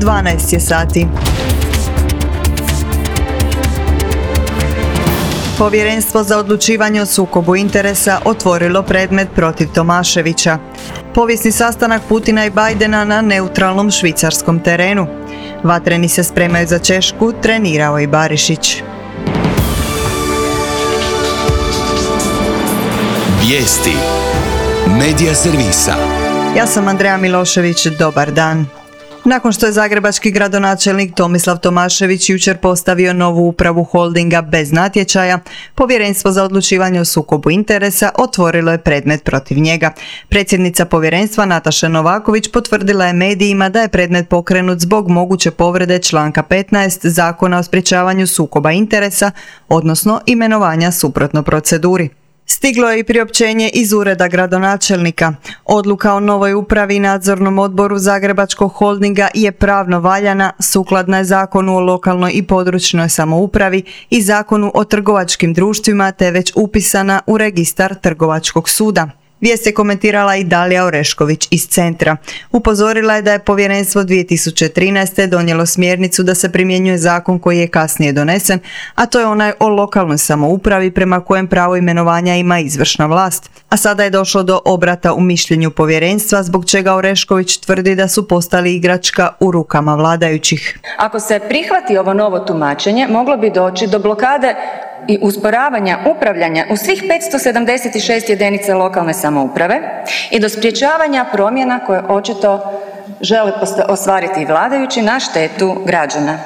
12 je sati. Povjerenstvo za odlučivanje o sukobu interesa otvorilo predmet protiv Tomaševića. Povijesni sastanak Putina i Bajdena na neutralnom švicarskom terenu. Vatreni se spremaju za Češku, trenirao i Barišić. Vijesti Medija servisa. Ja sam Andreja Milošević, dobar dan. Nakon što je zagrebački gradonačelnik Tomislav Tomašević jučer postavio novu upravu holdinga bez natječaja, Povjerenstvo za odlučivanje o sukobu interesa otvorilo je predmet protiv njega. Predsjednica povjerenstva Nataša Novaković potvrdila je medijima da je predmet pokrenut zbog moguće povrede članka 15 Zakona o sprječavanju sukoba interesa, odnosno imenovanja suprotno proceduri. Stiglo je i priopćenje iz ureda gradonačelnika. Odluka o novoj upravi i nadzornom odboru Zagrebačkog holdinga je pravno valjana, sukladna je Zakonu o lokalnoj i područnoj samoupravi i Zakonu o trgovačkim društvima te već upisana u registar Trgovačkog suda. Vijest je komentirala i Dalija Orešković iz Centra. Upozorila je da je povjerenstvo 2013. donijelo smjernicu da se primjenjuje zakon koji je kasnije donesen, a to je onaj o lokalnoj samoupravi prema kojem pravo imenovanja ima izvršna vlast. A sada je došlo do obrata u mišljenju povjerenstva, zbog čega Orešković tvrdi da su postali igračka u rukama vladajućih. Ako se prihvati ovo novo tumačenje, moglo bi doći do blokade i usporavanja upravljanja u svih 576 jedinica lokalne samouprave i do sprječavanja promjena koje očito žele ostvariti vladajući na štetu građana.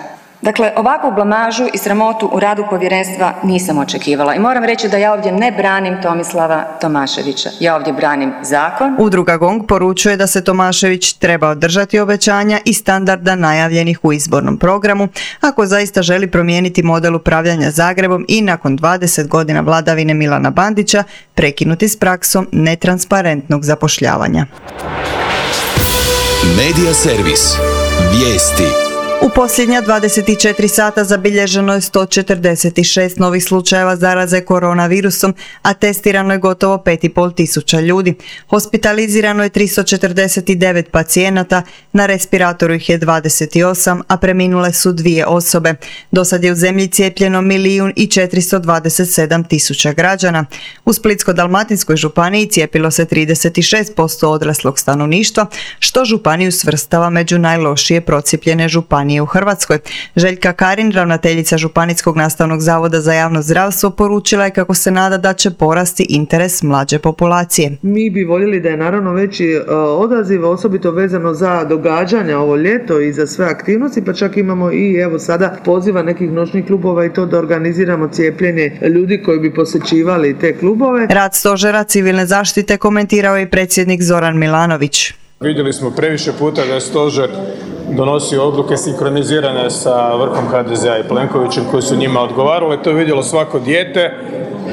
Dakle, ovakvu blamažu i sramotu u radu povjerenstva nisam očekivala i moram reći da ja ovdje ne branim Tomislava Tomaševića, ja ovdje branim zakon. Udruga GONG poručuje da se Tomašević treba održati obećanja i standarda najavljenih u izbornom programu ako zaista želi promijeniti model upravljanja Zagrebom i nakon 20 godina vladavine Milana Bandića prekinuti s praksom netransparentnog zapošljavanja. Medija servis. Vijesti. U posljednja 24 sata zabilježeno je 146 novih slučajeva zaraze koronavirusom, a testirano je gotovo 5,5 tisuća ljudi. Hospitalizirano je 349 pacijenata, na respiratoru ih je 28, a preminule su 2 osobe. Dosad je u zemlji cijepljeno 1.427.000 građana. U Splitsko-dalmatinskoj županiji cijepilo se 36% odraslog stanovništva, što županiju svrstava među najlošije procijepljene županije u Hrvatskoj. Željka Karin, ravnateljica Županijskog nastavnog zavoda za javno zdravstvo, poručila je kako se nada da će porasti interes mlađe populacije. Mi bi voljeli da je naravno veći odaziv, osobito vezano za događanja ovo ljeto i za sve aktivnosti, pa čak imamo i evo sada poziva nekih noćnih klubova i to da organiziramo cijepljenje ljudi koji bi posjećivali te klubove. Rad stožera civilne zaštite komentirao je predsjednik Zoran Milanović. Vidjeli smo previše puta da je stožer donosio odluke sinkronizirane sa vrhom HDZ-a i Plenkovićem koji su njima odgovarale. To je vidjelo svako dijete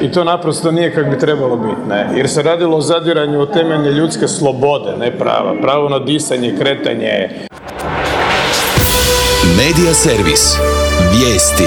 i to naprosto nije kako bi trebalo biti. Ne? Jer se radilo o zadiranju u temeljne ljudske slobode, ne prava. Pravo na disanje, kretanje. Medija servis. Vijesti.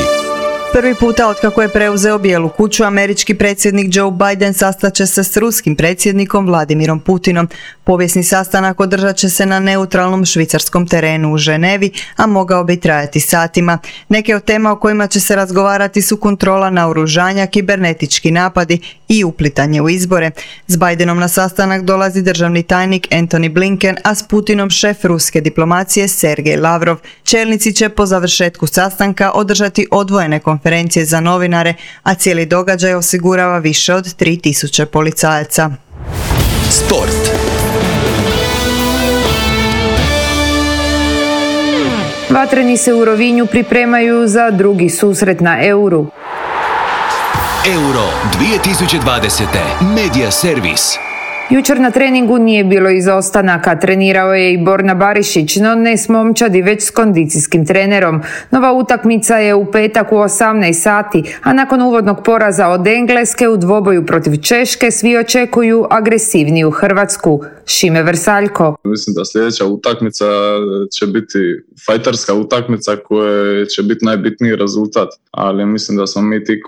Prvi puta otkako je preuzeo Bijelu kuću, američki predsjednik Joe Biden sastaće se s ruskim predsjednikom Vladimirom Putinom. Povijesni sastanak održat će se na neutralnom švicarskom terenu u Ženevi, a mogao bi trajati satima. Neke od tema o kojima će se razgovarati su kontrola naoružanja, kibernetički napadi i uplitanje u izbore. S Bidenom na sastanak dolazi državni tajnik Antony Blinken, a s Putinom šef ruske diplomacije Sergej Lavrov. Čelnici će po završetku sastanka održati odvojene konferencije za novinare, a cijeli događaj osigurava više od 3000 policajaca. Sport. Vatreni se u Rovinju pripremaju za drugi susret na Euru. Euro 2020. Medija servis. Jučer na treningu nije bilo izostanaka, trenirao je i Borna Barišić, no ne s momčadi, već s kondicijskim trenerom. Nova utakmica je u petak u 18 sati, a nakon uvodnog poraza od Engleske u dvoboju protiv Češke svi očekuju agresivniju Hrvatsku. Šime Vrsaljko. Mislim da sljedeća utakmica će biti fajterska utakmica koja će biti najbitniji rezultat, ali mislim da smo mi ti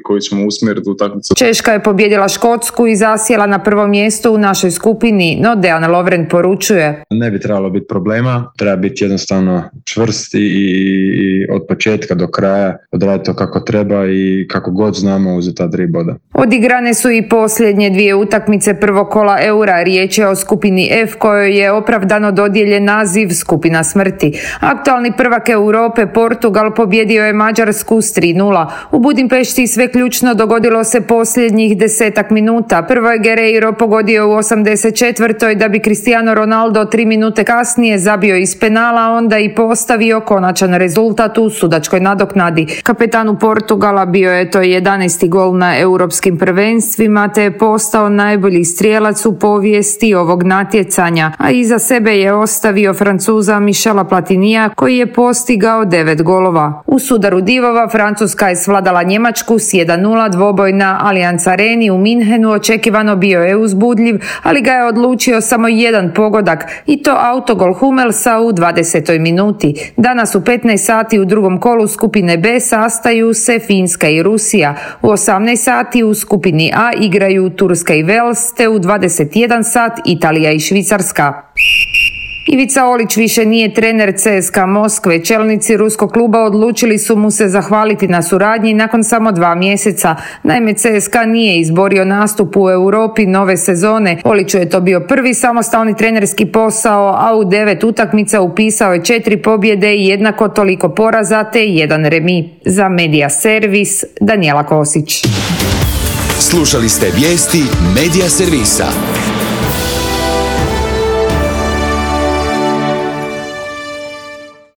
koji ćemo usmjeriti utakmicu. Češka je pobijedila Škotsku i zasjela na prvo mjesto mjesto u našoj skupini, no Dejan Lovren poručuje: ne bi trebalo biti problema, treba biti jednostavno čvrst i od početka do kraja odraditi to kako treba i kako god znamo uzeti ta 3 boda. Odigrane su i posljednje 2 utakmice prvog kola Eura. Riječ je o skupini F kojoj je opravdano dodijeljen naziv skupina smrti. Aktualni prvak Europe Portugal pobjedio je Mađarsku s 3:0. U Budimpešti sve ključno dogodilo se posljednjih 10 minuta. Prvo je Guerreiro pogodio u 84. da bi Cristiano Ronaldo 3 minute kasnije zabio iz penala, onda i postavio konačan rezultat u sudačkoj nadoknadi. Kapetanu Portugala bio je to 11. gol na europskim prvenstvima, te je postao najbolji strijelac u povijesti ovog natjecanja, a iza sebe je ostavio Francuza Michela Platinija koji je postigao 9 golova. U sudaru divova Francuska je svladala Njemačku s 1:0. Dvoboj na Allianz Areni u Minhenu očekivano bio je uzbudljiv, ali ga je odlučio samo jedan pogodak i to autogol Hummelsa u 20. minuti. Danas u 15 sati u drugom kolu skupine B sastaju se Finska i Rusija. U 18 sati u skupini A igraju Turska i Wales, te u 21 sat Italija i Švicarska. Ivica Olić više nije trener CSKA Moskve. Čelnici ruskog kluba odlučili su mu se zahvaliti na suradnji nakon samo 2 mjeseca. Naime, CSKA nije izborio nastup u Europi nove sezone. Oliću je to bio prvi samostalni trenerski posao, a u 9 utakmica upisao je 4 pobjede i jednako toliko poraza te 1 remi. Za Medija Servis, Danijela Kosić. Slušali ste vijesti Medija Servisa.